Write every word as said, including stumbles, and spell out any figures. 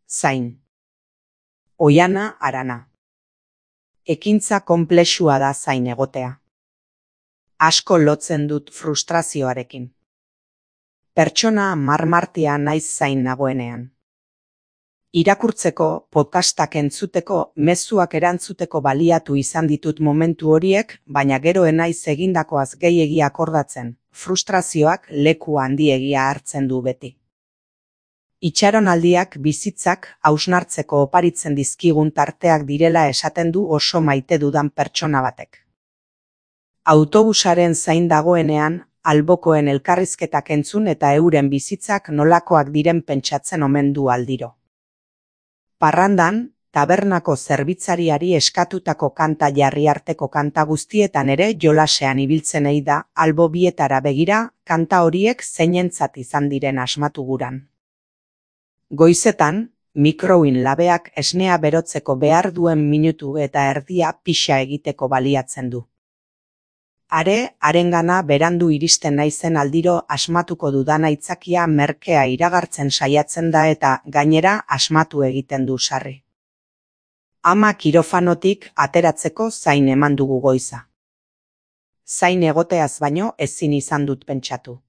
Zain. Oiana Arana. Ekintza konplexua da zain egotea. Asko lotzen dut frustrazioarekin. Pertsona marmartia naiz zain nagoenean. Irakurtzeko, podcastak entzuteko, mezuak erantzuteko baliatu izan ditut momentu horiek, baina gero enaiz egindakoaz gehiegi akordatzen, frustrazioak leku handiegia hartzen du beti. Itxaronaldiak bizitzak hausnartzeko oparitzen dizkigun tarteak direla esaten du oso maite dudan pertsona batek. Autobusaren zain dagoenean, albokoen elkarrizketak entzun eta euren bizitzak nolakoak diren pentsatzen omen du aldiro. Parrandan, tabernako zerbitzariari eskatutako kanta jarri arteko kanta guztietan ere jolasean ibiltzenei da, albo bietara begira, kanta horiek zeinentzat izan diren asmatu guran. Goizetan, mikroin labeak esnea berotzeko behar duen minutu eta erdia pixa egiteko baliatzen du. Are, harengana berandu iristen naizen aldiro asmatuko dudan aitzakia merkea iragartzen saiatzen da eta gainera asmatu egiten du sarri. Ama kirofanotik ateratzeko zain eman dugu goiza. Zain egoteaz baino ezin izan dut pentsatu.